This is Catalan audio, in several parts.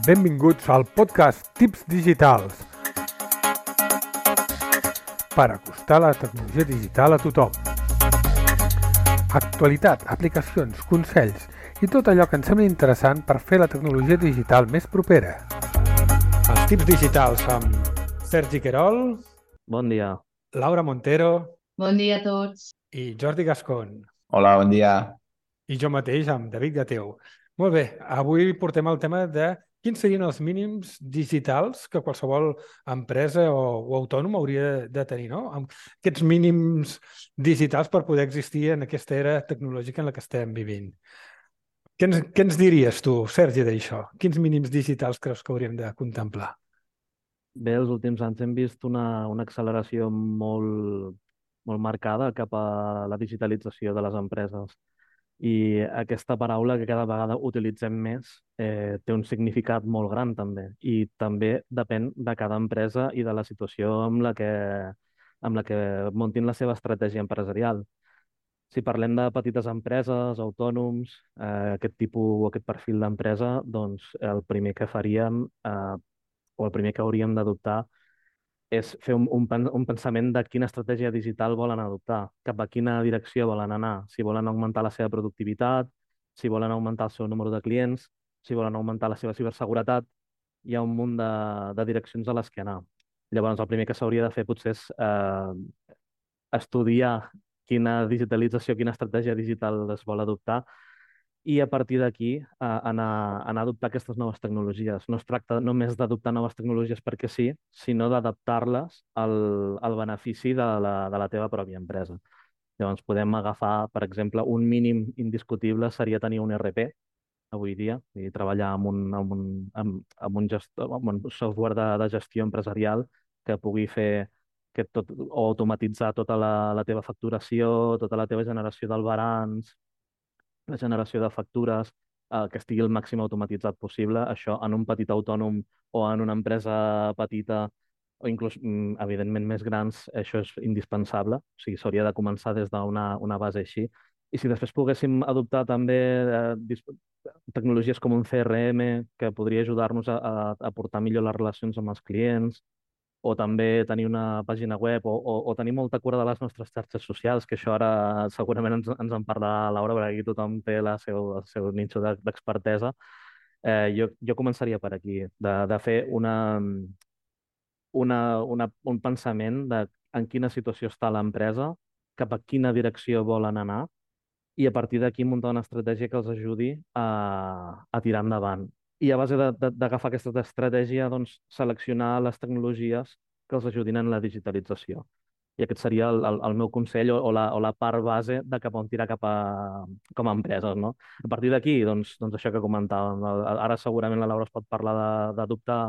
Benvinguts al podcast Tips Digitals per acostar la tecnologia digital a tothom. Actualitat, aplicacions, consells i tot allò que ens sembla interessant per fer la tecnologia digital més propera. Els Tips Digitals amb Sergi Querol, Bon dia. Laura Montero Bon dia a tots. i Jordi Gascon. Hola, bon dia. I jo mateix, amb David Gateu. Molt bé, avui portem el tema de quins serien els mínims digitals que qualsevol empresa o autònom hauria de tenir, no? Aquests mínims digitals per poder existir en aquesta era tecnològica en la que estem vivint. Què ens diries tu, Sergi, d'això? Quins mínims digitals creus que hauríem de contemplar? Bé, els últims anys hem vist una acceleració molt marcada cap a la digitalització de les empreses. I aquesta paraula que cada vegada utilitzem més té un significat molt gran també. I també depèn de cada empresa i de la situació amb la que muntin la seva estratègia empresarial. Si parlem de petites empreses, autònoms, aquest tipus o aquest perfil d'empresa, doncs el primer que faríem o el primer que hauríem d'adoptar és fer un pensament de quina estratègia digital volen adoptar, cap a quina direcció volen anar, si volen augmentar la seva productivitat, si volen augmentar el seu número de clients, si volen augmentar la seva ciberseguretat, hi ha un munt de direccions a les que anar. Llavors, el primer que s'hauria de fer potser és estudiar quina digitalització, quina estratègia digital es vol adoptar i a partir d'aquí anar a adoptar aquestes noves tecnologies. No es tracta només d'adoptar noves tecnologies perquè sí, sinó d'adaptar-les al benefici de la teva pròpia empresa. Llavors podem agafar, per exemple, un mínim indiscutible seria tenir un ERP avui dia i treballar amb un software de gestió empresarial que pugui fer o automatitzar tota la teva facturació, tota la teva generació del balanç, la generació de factures, que estigui el màxim automatitzat possible. Això en un petit autònom o en una empresa petita o inclús, evidentment, més grans, això és indispensable. O sigui, s'hauria de començar des d'una base així. I si després poguéssim adoptar també tecnologies com un CRM que podria ajudar-nos a portar millor les relacions amb els clients, o també tenir una pàgina web o tenir molta cura de les nostres xarxes socials, que això ara segurament ens en parlarà Laura, perquè aquí tothom té el seu nínxol d'expertesa. Jo començaria per aquí, de fer un pensament de en quina situació està l'empresa, cap a quina direcció volen anar, i a partir d'aquí muntar una estratègia que els ajudi a tirar endavant. I a base d'agafar aquesta estratègia, doncs, seleccionar les tecnologies que els ajudin en la digitalització. I aquest seria el meu consell o la part base de cap on tirar com a empreses, no? A partir d'aquí, doncs això que comentàvem. Ara segurament la Laura es pot parlar d'adoptar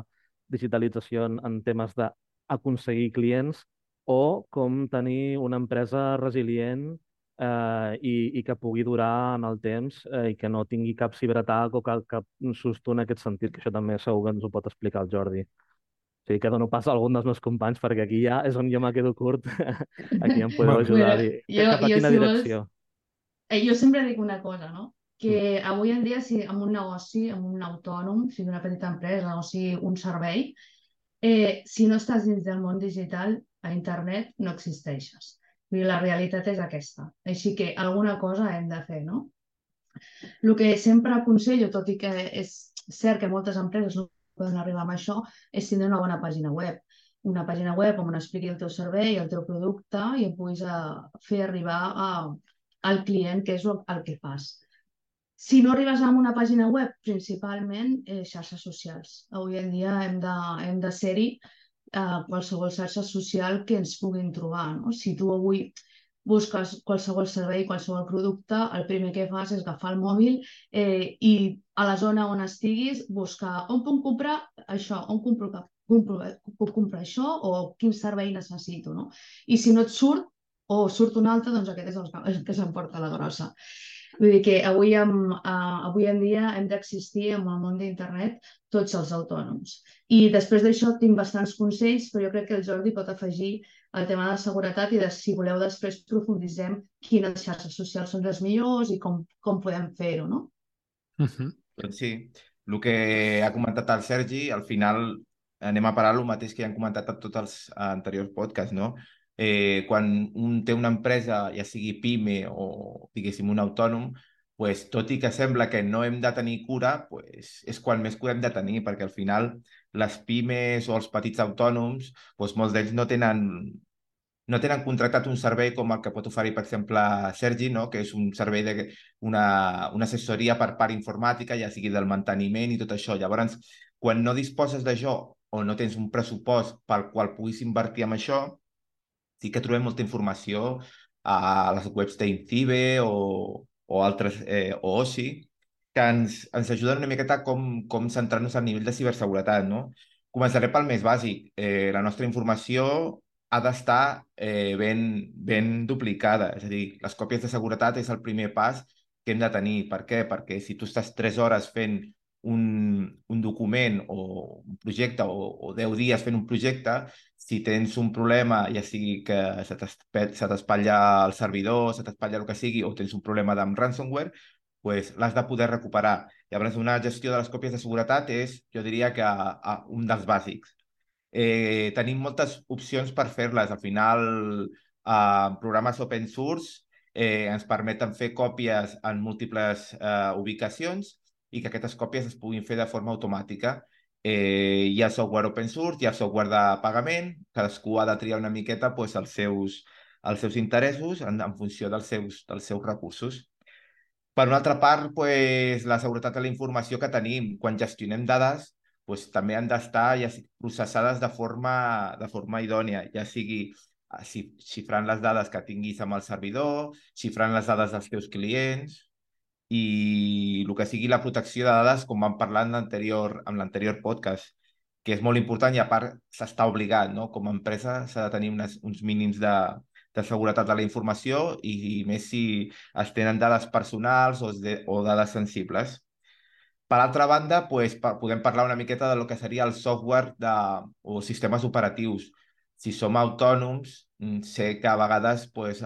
digitalització en temes d'aconseguir clients o com tenir una empresa resilient i que pugui durar en el temps i que no tingui cap ciberatac o cap susto en aquest sentit, que això també segur que ens ho pot explicar el Jordi. O sigui, que dono pas a algun dels meus companys, perquè aquí ja és on jo me quedo curt. Aquí em podeu ajudar a dir cap a quina direcció. Jo sempre dic una cosa, no? Que avui en dia, si en un negoci, en un autònom, sigui una petita empresa o sigui un servei, si no estàs dins del món digital, a internet no existeixes. La realitat és aquesta. Així que alguna cosa hem de fer, no? El que sempre aconsello, tot i que és cert que moltes empreses no poden arribar amb això, és tindre una bona pàgina web. Una pàgina web on expliqui el teu servei, el teu producte i et puguis fer arribar al client, que és el que fas. Si no arribes a una pàgina web, principalment xarxes socials. Avui en dia hem de ser-hi qualsevol xarxa social que ens puguin trobar, no? Si tu avui busques qualsevol servei, qualsevol producte, el primer que fas és agafar el mòbil i a la zona on estiguis buscar on puc comprar això, on puc comprar això o quin servei necessito, no? I si no et surt o surt un altre, doncs aquest és el que s'emporta la grossa. Vull dir que avui en dia hem d'existir en el món d'internet tots els autònoms. I després d'això tinc bastants consells, però jo crec que el Jordi pot afegir el tema de la seguretat i si voleu després profunditzem quines xarxes socials són les millors i com podem fer-ho, no? Doncs sí, el que ha comentat el Sergi, al final anem a parar el mateix que ja han comentat a tots els anteriors podcasts, no? Quan un té una empresa, ja sigui PIME o, diguéssim, un autònom, pues, tot i que sembla que no hem de tenir cura, pues, és quan més cura hem de tenir, perquè al final les pimes o els petits autònoms, pues, molts d'ells no tenen contractat un servei com el que pot oferir, per exemple, Sergi, no? Que és un servei una assessoria per part informàtica, ja sigui del manteniment i tot això. Llavors, quan no disposes d'això o no tens un pressupost pel qual puguis invertir en això, sí que trobem molta informació a les webs d'Incibe o altres, o OSI, que ens ajuden una miqueta com centrar-nos al nivell de ciberseguretat, no? Començaré pel més bàsic. La nostra informació ha d'estar ben duplicada. És a dir, les còpies de seguretat és el primer pas que hem de tenir. Per què? Perquè si tu estàs 3 hores fent un document o un projecte o 10 dies fent un projecte, si tens un problema, ja sigui que se t'espatlla el servidor, se t'espatlla el que sigui, o tens un problema amb ransomware, pues, l'has de poder recuperar. Llavors, una gestió de les còpies de seguretat és, jo diria que un dels bàsics. Tenim moltes opcions per fer-les. Al final, programes open source ens permeten fer còpies en múltiples ubicacions i que aquestes còpies es puguin fer de forma automàtica. Hi ha software open source, hi ha software de pagament, cadascú ha de triar una miqueta pues, els seus interessos en funció dels seus recursos. Per una altra part, pues, la seguretat de la informació que tenim quan gestionem dades pues, també han d'estar ja processades de forma idònia, ja sigui xifrant les dades que tinguis amb el servidor, xifrant les dades dels teus clients i el que sigui la protecció de dades, com vam parlar en l'anterior podcast, que és molt important i a part s'està obligat, no? Com a empresa s'ha de tenir uns mínims de seguretat de la informació i més si es tenen dades personals o dades sensibles. Per altra banda, pues, podem parlar una miqueta de lo que seria el software o sistemes operatius. Si som autònoms, sé que a vegades pues,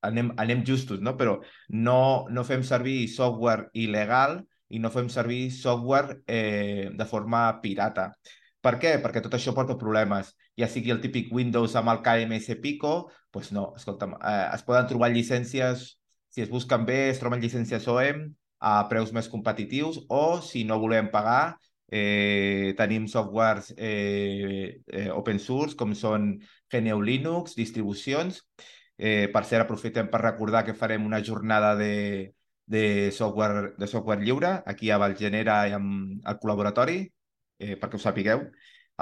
anem justos, no? Però no fem servir software il·legal i no fem servir software de forma pirata. Per què? Perquè tot això porta problemes. Ja sigui el típic Windows amb el KMS Pico, doncs no, escolta'm, es poden trobar llicències, si es busquen bé, es troben llicències OEM a preus més competitius o, si no volem pagar, tenim softwares open source com són GNU Linux, distribucions. Per cert, aprofitem per recordar que farem una jornada de software lliure aquí a Valgenera i amb el col·laboratori, perquè ho sapigueu,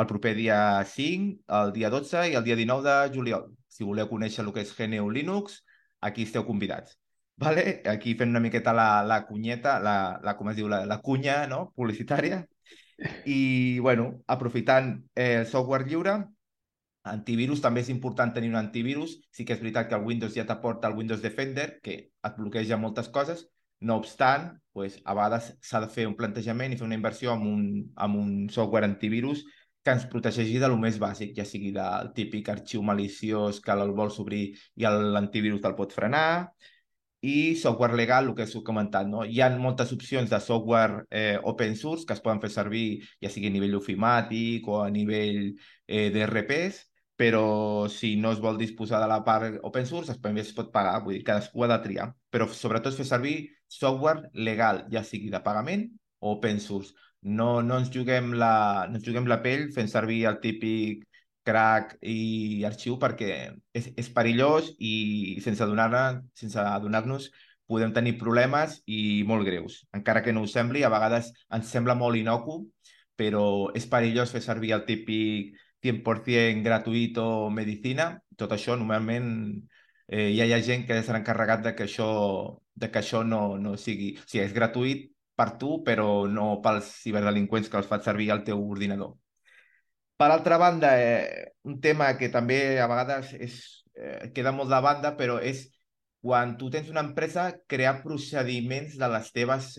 el proper dia 5, el dia 12 i el dia 19 de juliol. Si voleu conèixer el que és GNU Linux, aquí esteu convidats. Vale? Aquí fent una miqueta la cunyeta, com es diu, la cunya, no? Publicitària. I, bueno, aprofitant el software lliure, antivirus, també és important tenir un antivirus. Sí que és veritat que el Windows ja t'aporta el Windows Defender, que et bloqueja moltes coses. No obstant, pues, a vegades s'ha de fer un plantejament i fer una inversió en un software antivirus que ens protegeixi de lo més bàsic, ja sigui del típic arxiu maliciós que el vols obrir i l'antivirus te'l pot frenar, i software legal, el que us he comentat, no? Hi ha moltes opcions de software open source que es poden fer servir, ja sigui a nivell ofimàtic o a nivell d'ERPs, però si no es vol disposar de la part open source, també es pot pagar, vull dir, cadascú ha de triar. Però sobretot fer servir software legal, ja sigui de pagament o open source. No ens juguem la pell fent servir el típic crack i arxiu perquè és perillós i sense adonar-nos podem tenir problemes i molt greus. Encara que no ho sembli, a vegades ens sembla molt inocu, però és perillós fer servir el típic 100% gratuït o medicina. Tot això normalment ja hi ha gent que s'ha encarregat de que això no sigui... O sigui, és gratuït per tu, però no pels ciberdelinqüents que els fan servir al teu ordinador. Per altra banda, un tema que també a vegades queda molt de banda, però és quan tu tens una empresa, crear procediments de les teves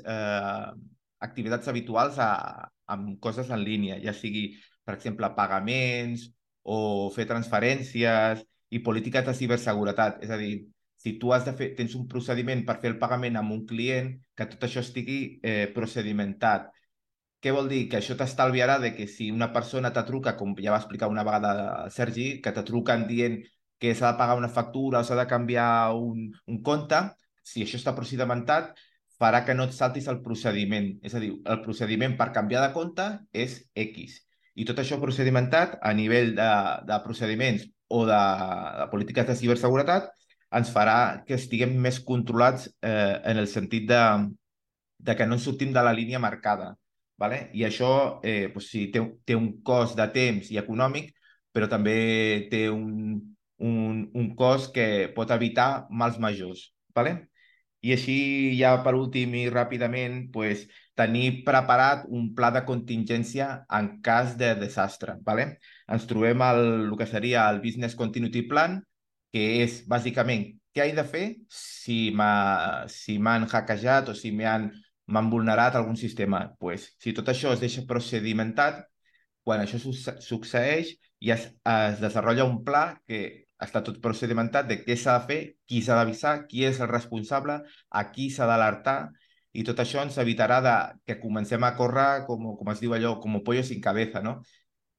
activitats habituals amb coses en línia, ja sigui, per exemple, pagaments o fer transferències i polítiques de ciberseguretat. És a dir, si tu tens un procediment per fer el pagament amb un client, que tot això estigui procedimentat, què vol dir? Que això t'estalviarà de que si una persona te truca, com ja va explicar una vegada el Sergi, que te truquen dient que s'ha de pagar una factura o s'ha de canviar un compte, si això està procedimentat, farà que no et saltis el procediment. És a dir, el procediment per canviar de compte és X. I tot això procedimentat a nivell de procediments o de polítiques de ciberseguretat ens farà que estiguem més controlats en el sentit de que no ens sortim de la línia marcada. Vale? I això doncs sí, té un cost de temps i econòmic, però també té un cost que pot evitar mals majors. Vale? I així, ja per últim i ràpidament, pues, tenir preparat un pla de contingència en cas de desastre. Vale? Ens trobem el que seria el Business Continuity Plan, que és bàsicament què he de fer si m'han hackejat o si m'han vulnerat algun sistema. Pues, si tot això es deixa procedimentat, quan això succeeix ja es desenvolupa un pla que està tot procedimentat de què s'ha de fer, qui s'ha d'avisar, qui és el responsable, a qui s'ha d'alertar, i tot això ens evitarà que comencem a córrer, com es diu allò, com pollo sin cabeza, no?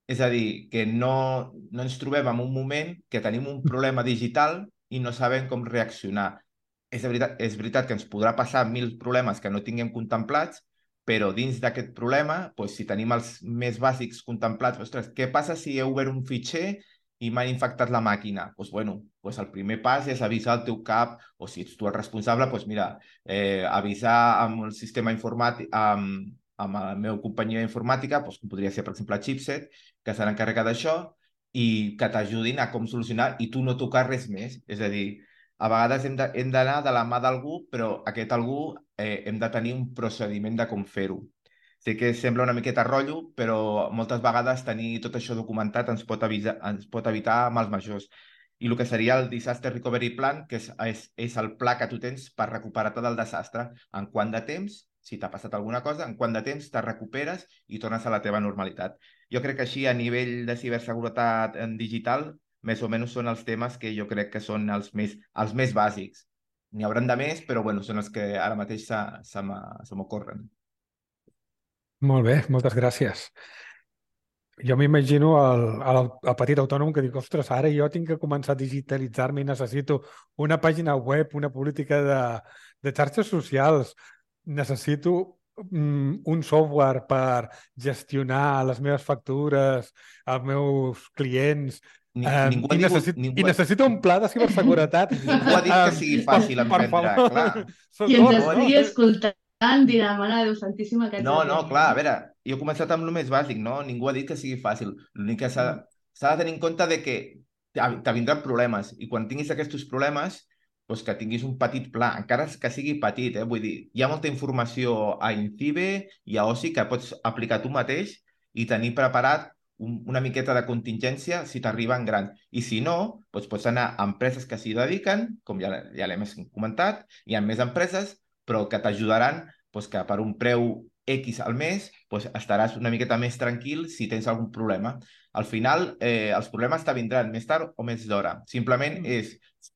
És a dir, que no ens trobem en un moment que tenim un problema digital i no sabem com reaccionar. És veritat que ens podrà passar mil problemes que no tinguem contemplats, però dins d'aquest problema, doncs, si tenim els més bàsics contemplats, ostres, què passa si he obert un fitxer i m'han infectat la màquina? Doncs, bueno, doncs el primer pas és avisar el teu cap, o si ets tu el responsable, doncs mira, avisar amb el sistema informàtic, amb la meva companyia informàtica, doncs, com podria ser, per exemple, Chipset, que se n'encarrega d'això, i que t'ajudin a com solucionar i tu no tocar res més. És a dir, a vegades hem d'anar de la mà d'algú, però aquest algú hem de tenir un procediment de com fer-ho. Sé que sembla una miqueta rotllo, però moltes vegades tenir tot això documentat ens pot evitar mals majors. I el que seria el Disaster Recovery Plan, que és el pla que tu tens per recuperar-te del desastre. En quant de temps, si t'ha passat alguna cosa, en quant de temps te recuperes i tornes a la teva normalitat. Jo crec que així, a nivell de ciberseguretat en digital, més o menys són els temes que jo crec que són els més bàsics. N'hi hauran de més, però bueno, són els que ara mateix se m'ocorren. Molt bé, moltes gràcies. Jo m'imagino el petit autònom que diu, ostres, ara jo tinc que començar a digitalitzar-me i necessito una pàgina web, una política de xarxes socials, necessito un software per gestionar les meves factures, els meus clients, Ningú ha dit, i necessito un pla de ciberseguretat. Ningú ha dit que sigui fàcil emprendre, clar. Qui ens estigui escoltant dirà, mare de Déu santíssima, que No, clar, a veure, jo he començat amb el més bàsic, no? Ningú ha dit que sigui fàcil. L'únic que s'ha de tenir en compte de que te vindran problemes i quan tinguis aquests problemes, doncs que tinguis un petit pla, encara que sigui petit, vull dir, hi ha molta informació a Incibe i a OSI que pots aplicar tu mateix i tenir preparat una miqueta de contingència si t'arriben grans. I si no, doncs pots anar a empreses que s'hi dediquen, com ja l'hem comentat, hi ha més empreses, però que t'ajudaran doncs que per un preu X al mes doncs estaràs una miqueta més tranquil si tens algun problema. Al final, els problemes te vindran més tard o més d'hora. Simplement és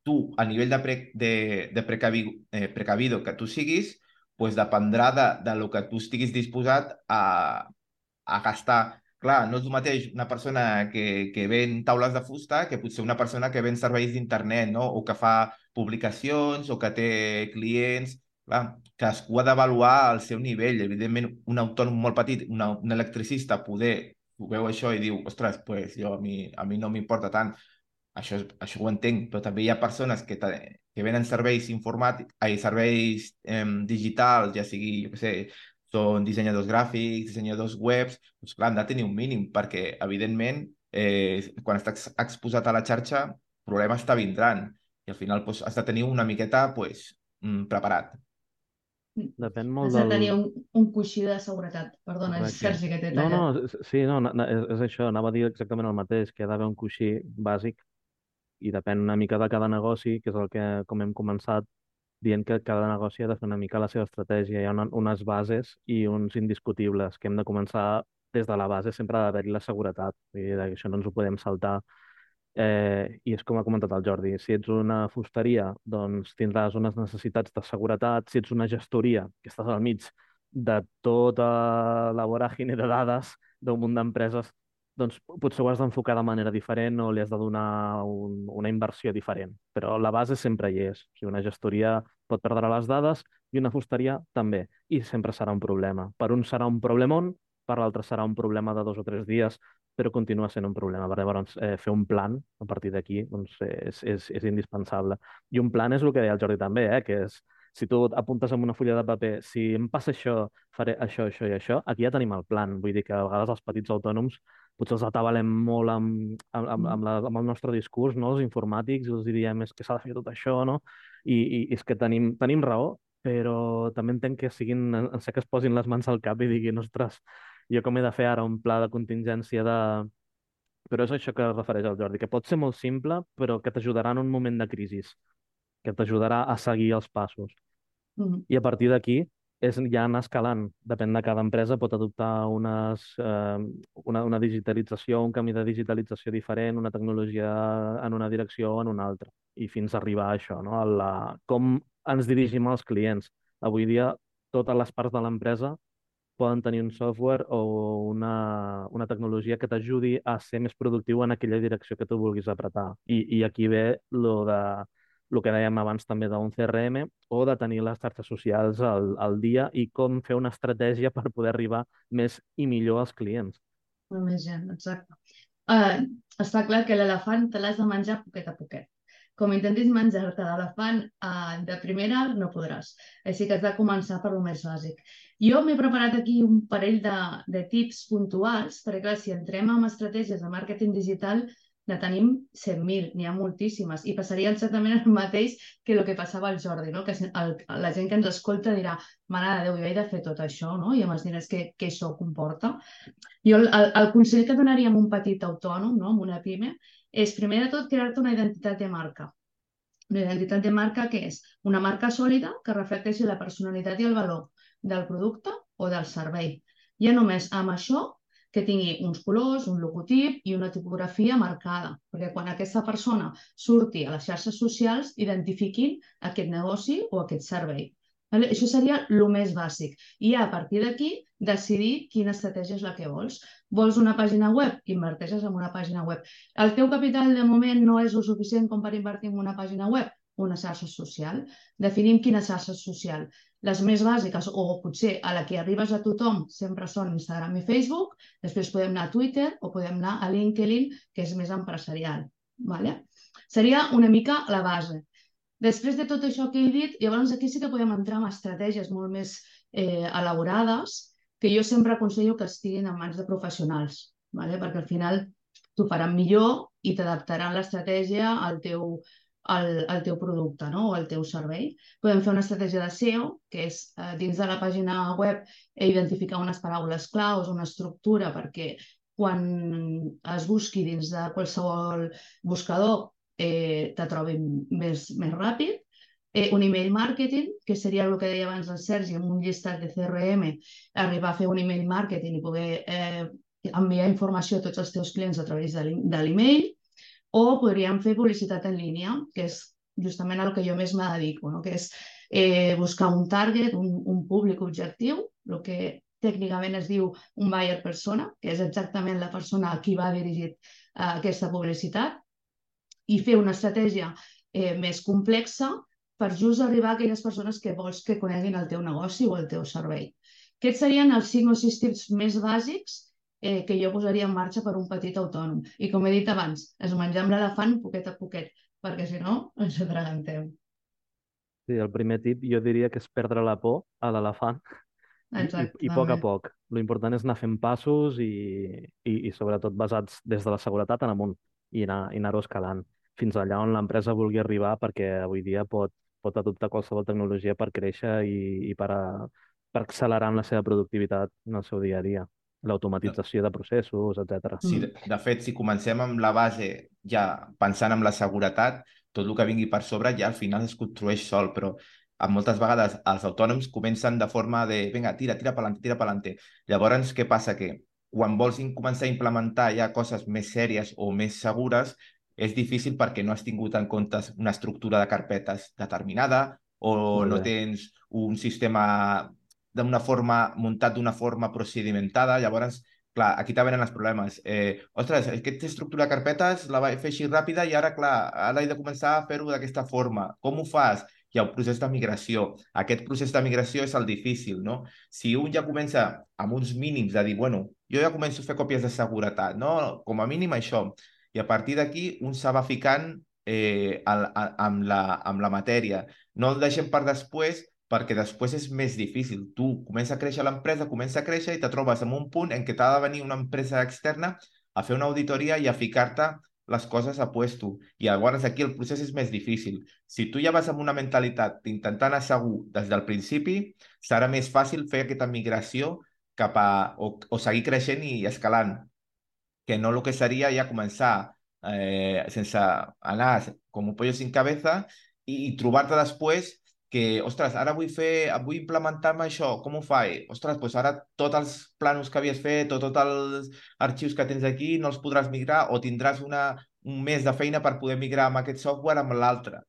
tu, a nivell de precavido que tu siguis, doncs dependrà de lo que tu estiguis disposat a gastar. Clar, no és el mateix una persona que ven taules de fusta que potser una persona que ven serveis d'internet, no? O que fa publicacions o que té clients. Clar, cadascú ha d'avaluar el seu nivell. Evidentment, un autònom molt petit, un electricista, poder ho veu això i diu, ostres, pues, a mi no m'importa tant. Això ho entenc, però també hi ha persones que venen serveis informàtics, serveis digitals, ja sigui, jo què sé, són dissenyadors gràfics, dissenyadors webs, doncs clar, han de tenir un mínim, perquè, evidentment, quan estàs exposat a la xarxa, problemes te vindran. I al final doncs, has de tenir una miqueta preparat. Depèn molt Has de tenir un coixí de seguretat. Perdona, és Correcte. Sergi que t'he No, tallat. sí, és això, anava a dir exactament el mateix, que hi ha d'haver un coixí bàsic i depèn una mica de cada negoci, que és el que, com hem començat, dient que cada negoci ha de fer una mica la seva estratègia. Hi ha unes bases i uns indiscutibles, que hem de començar des de la base, sempre ha d'haver-hi la seguretat. Vull dir, això no ens ho podem saltar. I és com ha comentat el Jordi, si ets una fusteria, doncs tindràs unes necessitats de seguretat. Si ets una gestoria, que estàs al mig de tota la voràgine de dades d'un munt d'empreses, doncs potser ho has d'enfocar de manera diferent o li has de donar una inversió diferent. Però la base sempre hi és. O sigui, una gestoria pot perdre les dades i una fusteria també. I sempre serà un problema. Per un serà un problemon, per l'altre serà un problema de 2 o 3 dies, però continua sent un problema. Llavors, fer un plan a partir d'aquí doncs, és indispensable. I un plan és el que deia el Jordi també, que és si tu apuntes en una fulla de paper, si em passa això, faré això, això i això, aquí ja tenim el plan. Vull dir que a vegades els petits autònoms potser els atabalem molt amb el nostre discurs, no? Els informàtics, i els diríem és que s'ha de fer tot això, no? I és que tenim raó, però també entenc que en sé que es posin les mans al cap i diguin, ostres, jo com he de fer ara un pla de contingència de... Però és això que es refereix al Jordi, que pot ser molt simple, però que t'ajudarà en un moment de crisi, que t'ajudarà a seguir els passos. Mhm. I a partir d'aquí és ja anar escalant. Depèn de cada empresa, pot adoptar una digitalització, un camí de digitalització diferent, una tecnologia en una direcció o en una altra, i fins a arribar a això, no? Com ens dirigim als clients. Avui dia, totes les parts de l'empresa poden tenir un software o una tecnologia que t'ajudi a ser més productiu en aquella direcció que tu vulguis apretar. I aquí ve lo que dèiem abans també d'un CRM o de tenir les xarxes socials al dia i com fer una estratègia per poder arribar més i millor als clients. Molt més gent, exacte. Està clar que l'elefant te l'has de menjar poquet a poquet. Com intentis menjar-te l'elefant de primera, no podràs. Així que has de començar per lo més bàsic. Jo m'he preparat aquí un parell de tips puntuals, perquè clar, si entrem en estratègies de màrqueting digital, ne tenim 100.000, n'hi ha moltíssimes, i passaria exactament el mateix que el que passava al Jordi, no? Que la gent que ens escolta dirà, mare de Déu, jo he de fer tot això, no? I amb els diners que això comporta. Jo el consell que donaria a un petit autònom, no? Amb una pime, és primer de tot crear-te una identitat de marca. Una identitat de marca que és una marca sòlida que reflecteixi la personalitat i el valor del producte o del servei. Ja només amb això que tingui uns colors, un logotip i una tipografia marcada, perquè quan aquesta persona surti a les xarxes socials identifiquin aquest negoci o aquest servei. Vale? Això seria el més bàsic. I a partir d'aquí decidir quina estratègia és la que vols. Vols una pàgina web? Inverteixes en una pàgina web. El teu capital de moment no és el suficient com per invertir en una pàgina web? Una xarxa social. Definim quina xarxa social. Les més bàsiques, o potser a la que arribes a tothom, sempre són Instagram i Facebook. Després podem anar a Twitter o podem anar a LinkedIn, que és més empresarial. Vale? Seria una mica la base. Després de tot això que he dit, llavors aquí sí que podem entrar en estratègies molt més elaborades, que jo sempre aconsello que estiguin en mans de professionals, ¿vale? Perquè al final t'ho faran millor i t'adaptaran l'estratègia al teu producte, no? O al teu servei. Podem fer una estratègia de SEO, que és dins de la pàgina web identificar unes paraules claus, una estructura, perquè quan es busqui dins de qualsevol buscador te trobin més ràpid. Un email marketing, que seria el que deia abans el Sergi, amb un llistat de CRM, arribar a fer un email marketing i poder enviar informació a tots els teus clients a través de l'email, o podríem fer publicitat en línia, que és justament el que jo més me dedico, no? Que és buscar un target, un públic objectiu, el que tècnicament es diu un buyer persona, que és exactament la persona a qui va dirigit aquesta publicitat, i fer una estratègia més complexa per just arribar a aquelles persones que vols que coneguin el teu negoci o el teu servei. Aquests serien els 5 o 6 tips més bàsics que jo posaria en marxa per un petit autònom. I com he dit abans, es mengem l'elefant poquet a poquet, perquè si no ens atragentem. Sí, el primer tip jo diria que és perdre la por a l'elefant i a poc. Lo important és anar fent passos i sobretot basats des de la seguretat en amunt i anar-ho escalant fins allà on l'empresa vulgui arribar, perquè avui dia pot adoptar qualsevol tecnologia per créixer i per accelerar en la seva productivitat en el seu dia a dia. L'automatització de processos, etc. Sí, de fet, si comencem amb la base ja pensant en la seguretat, tot el que vingui per sobre ja al final es construeix sol, però moltes vegades els autònoms comencen de forma de vinga, tira pa'lante, tira pa'lante. Llavors, què passa? Que quan vols començar a implementar ja coses més sèries o més segures, és difícil perquè no has tingut en compte una estructura de carpetes determinada o no tens un sistema muntat d'una forma procedimentada, llavors, clar, aquí també venen els problemes. Ostres, aquesta estructura de carpetes la vaig fer així ràpida i ara, clar, ara he de començar a fer-ho d'aquesta forma. Com ho fas? Hi ha un procés de migració. Aquest procés de migració és el difícil, no? Si un ja comença amb uns mínims de dir, bueno, jo ja començo a fer còpies de seguretat, no? Com a mínim això. I a partir d'aquí un se va ficant amb la matèria. No el deixem per després, perquè després és més difícil. Tu comença a créixer l'empresa, comença a créixer i te trobes en un punt en què t'ha de venir una empresa externa a fer una auditoria i a ficar-te les coses a puesto. I llavors aquí el procés és més difícil. Si tu ja vas amb una mentalitat d'intentar anar segur des del principi, serà més fàcil fer aquesta migració cap a, o seguir creixent i escalant, que no el que seria ja començar sense anar com un pollo sin cabeza i trobar-te després que, ostres, ara vull implementar-me això, com ho faig? Ostres, doncs ara tots els plànols que havies fet o tots els arxius que tens aquí no els podràs migrar o tindràs un mes de feina per poder migrar amb aquest software amb l'altre.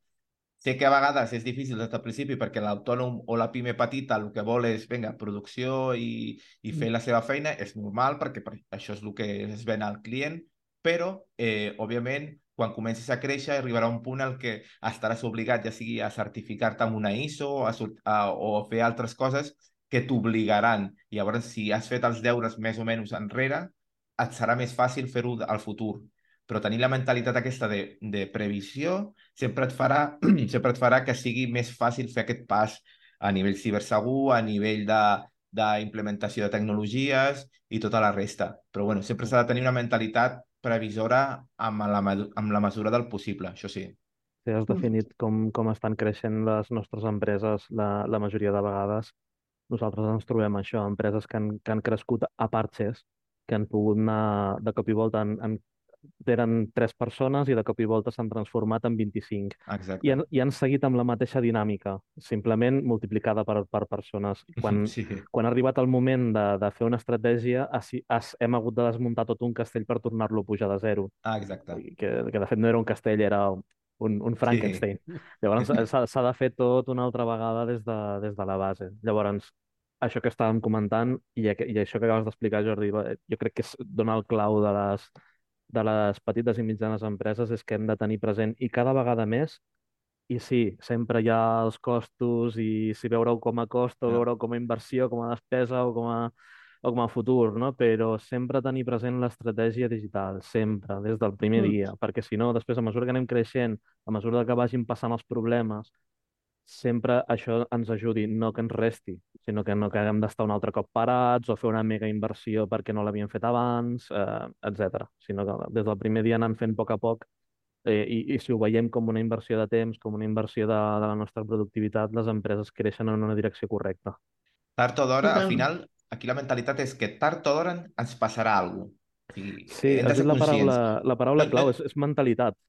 Sé que a vegades és difícil des del principi perquè l'autònom o la pime petita el que vol és, vinga, producció i fer la seva feina, és normal perquè això és el que es ven al client, però, òbviament, quan comencis a créixer arribarà un punt en què estaràs obligat ja sigui a certificar-te amb una ISO o a fer altres coses que t'obligaran. I llavors, si has fet els deures més o menys enrere, et serà més fàcil fer-ho al futur. Però tenir la mentalitat aquesta de previsió sempre sempre et farà que sigui més fàcil fer aquest pas a nivell cibersegur, a nivell d'implementació de tecnologies i tota la resta. Però bueno, sempre s'ha de tenir una mentalitat previsora amb la mesura del possible, això sí. Si has definit com estan creixent les nostres empreses, la majoria de vegades nosaltres ens trobem això, empreses que han crescut a parxes, que han pogut anar de cop i volta, eren 3 persones i de cop i volta s'han transformat en 25. Exacte. I han seguit amb la mateixa dinàmica, simplement multiplicada per persones. Sí. Quan ha arribat el moment de fer una estratègia, hem hagut de desmuntar tot un castell per tornar-lo a pujar de zero. Exacte. Que de fet no era un castell, era un Frankenstein. Sí. Llavors s'ha de fer tot una altra vegada des de la base. Llavors, això que estàvem comentant i això que acabes d'explicar, Jordi, jo crec que dona el clau de les petites i mitjanes empreses, és que hem de tenir present, i cada vegada més, i sí, sempre hi ha els costos, i si veure-ho com a cost o veure-ho com a inversió, com a despesa o com a futur, no? Però sempre tenir present l'estratègia digital, sempre, des del primer dia, perquè si no, després, a mesura que anem creixent, a mesura que vagin passant els problemes, sempre això ens ajudi, no que ens resti, sinó que no que haguem d'estar un altre cop parats o fer una mega inversió perquè no l'havíem fet abans, etc. Sinó que des del primer dia anant fent a poc, i si ho veiem com una inversió de temps, com una inversió de la nostra productivitat, les empreses creixen en una direcció correcta. Tard o d'hora, al final, aquí la mentalitat és que tard o d'hora ens passarà alguna cosa. Sí, has dit la paraula clau, és mentalitat.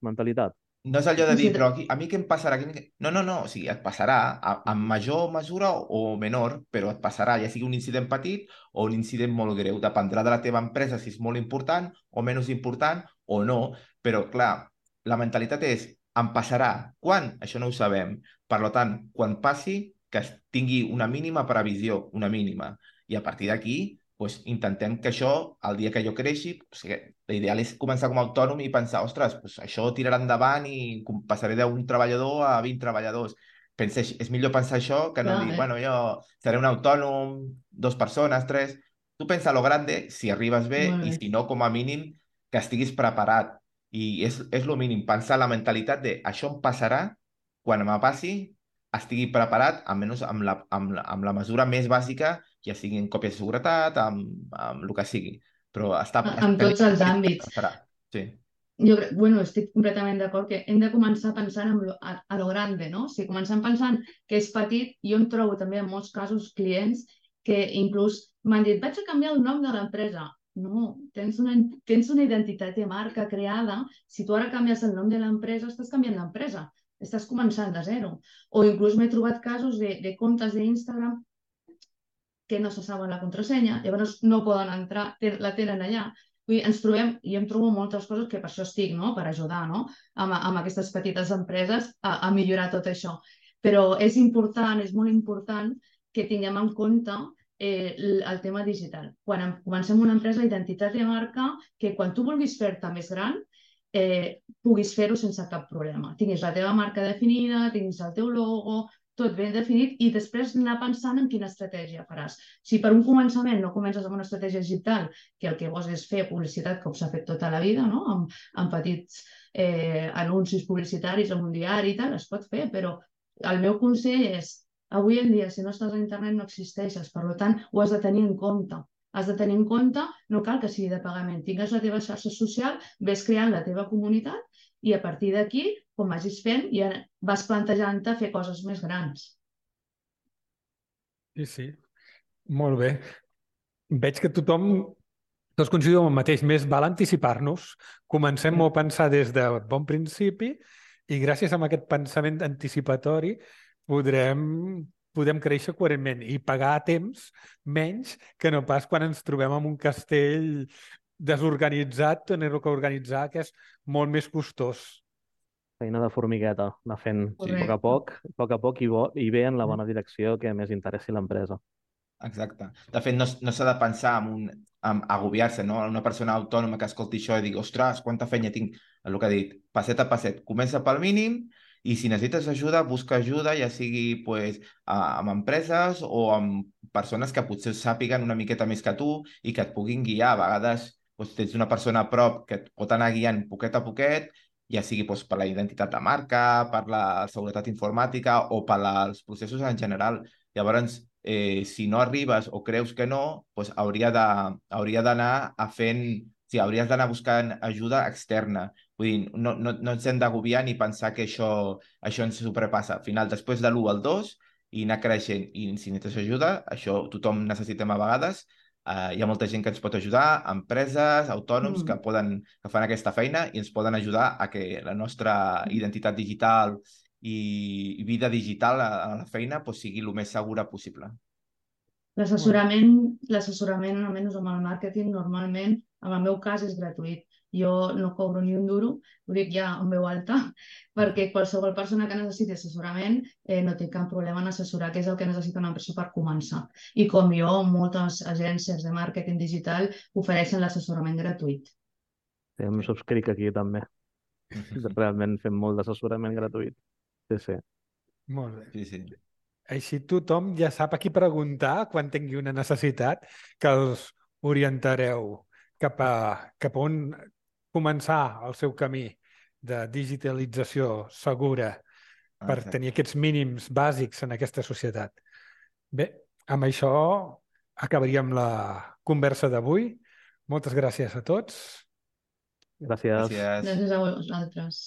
No és allò de dir, però a mi què em passarà? No, o sigui, et passarà en major mesura o menor, però et passarà, ja sigui un incident petit o un incident molt greu. Dependrà de la teva empresa si és molt important o menys important o no, però clar, la mentalitat és, em passarà. Quan? Això no ho sabem. Per tant, quan passi, que es tingui una mínima previsió, una mínima. I a partir d'aquí, pues, intentem que això, el dia que jo creixi, o sigui, l'ideal és començar com a autònom i pensar, ostres, pues, això tirarà endavant i passaré d'un treballador a 20 treballadors. És millor pensar això que no dir, bueno, jo seré un autònom, 2 persones, 3. Tu pensa a lo grande, si arribes bé, i si no, com a mínim, que estiguis preparat. I és lo mínim, pensar la mentalitat de això em passarà, quan me passi, estigui preparat, almenys amb la mesura més bàsica, ja sigui en còpia de seguretat, amb el que sigui. Però en tots els àmbits. Sí. Jo estic completament d'acord que hem de començar pensant a lo grande, no? Si comencem pensant que és petit, jo em trobo també en molts casos clients que inclús m'han dit, vaig a canviar el nom de l'empresa. No, tens una identitat de marca creada. Si tu ara canvies el nom de l'empresa, estàs canviant l'empresa. Estàs començant de zero. O inclús m'he trobat casos de comptes d'Instagram que no se saben la contrasenya, llavors no poden entrar, la tenen allà. Vull dir, ens trobem, i em trobo moltes coses que per això estic, no? Per ajudar, no? Amb aquestes petites empreses a millorar tot això. Però és important, és molt important que tinguem en compte el tema digital. Quan comencem una empresa, identitat de marca, que quan tu vulguis fer-te més gran, puguis fer-ho sense cap problema. Tinguis la teva marca definida, tinguis el teu logo, tot ben definit, i després anar pensant en quina estratègia faràs. Si per un començament no comences amb una estratègia digital, que el que vols és fer publicitat com s'ha fet tota la vida, no? amb petits anuncis publicitaris en un diari i tal, es pot fer, però el meu consell és, avui en dia, si no estàs a internet no existeixes, per tant, ho has de tenir en compte. Has de tenir en compte, no cal que sigui de pagament, tingues la teva xarxa social, ves creant la teva comunitat i a partir d'aquí, com vagis fent, ja vas plantejant-te fer coses més grans. Sí, sí. Molt bé. Veig que tots coincidim en el mateix. Més val anticipar-nos. Comencem a pensar des de bon principi i gràcies a aquest pensament anticipatori podem créixer coherentment i pagar a temps menys que no pas quan ens trobem en un castell desorganitzat, tenir-lo que organitzar, que és molt més costós. Feina de formigueta, anar fent Correcte. a poc i bé en la bona direcció que més interessi l'empresa. Exacte. De fet, no s'ha de pensar en agobiar-se, no? Una persona autònoma que escolti això i digui, ostres, quanta feina tinc. El que ha dit, passet a passet. Comença pel mínim i si necessites ajuda, busca ajuda, ja sigui pues, amb empreses o amb persones que potser sàpiguen una miqueta més que tu i que et puguin guiar. A vegades pues, tens una persona a prop que et pot anar guiant poquet a poquet, ja sigui pues, per la identitat de marca, per la seguretat informàtica o per als processos en general. Llavors, si no arribes o creus que no, doncs hauria d'anar hauries d'anar buscant ajuda externa. Vull dir, no ens hem d'agobiar ni pensar que això ens sobrepassa. Al final, després de l'1 al 2 i anar creixent, i si necessites ajuda, això tothom necessitem a vegades, hi ha molta gent que ens pot ajudar, empreses, autònoms que fan aquesta feina i ens poden ajudar a que la nostra identitat digital i vida digital a la feina pues, sigui el més segura possible. L'assessorament, almenys amb el màrqueting, normalment, en el meu cas, és gratuït. Jo no cobro ni un duro, ho dic ja en veu alta, perquè qualsevol persona que necessiti assessorament no té cap problema en assessorar, que és el que necessita una empresa per començar. I com jo, moltes agències de màrqueting digital ofereixen l'assessorament gratuït. Sí, em subscric aquí també. Realment fem molt d'assessorament gratuït. Sí, sí. Molt bé. Sí, sí. Així tothom ja sap a qui preguntar quan tingui una necessitat, que els orientareu cap a on començar el seu camí de digitalització segura per tenir aquests mínims bàsics en aquesta societat. Bé, amb això acabaríem la conversa d'avui. Moltes gràcies a tots. Gràcies. Gràcies a vosaltres.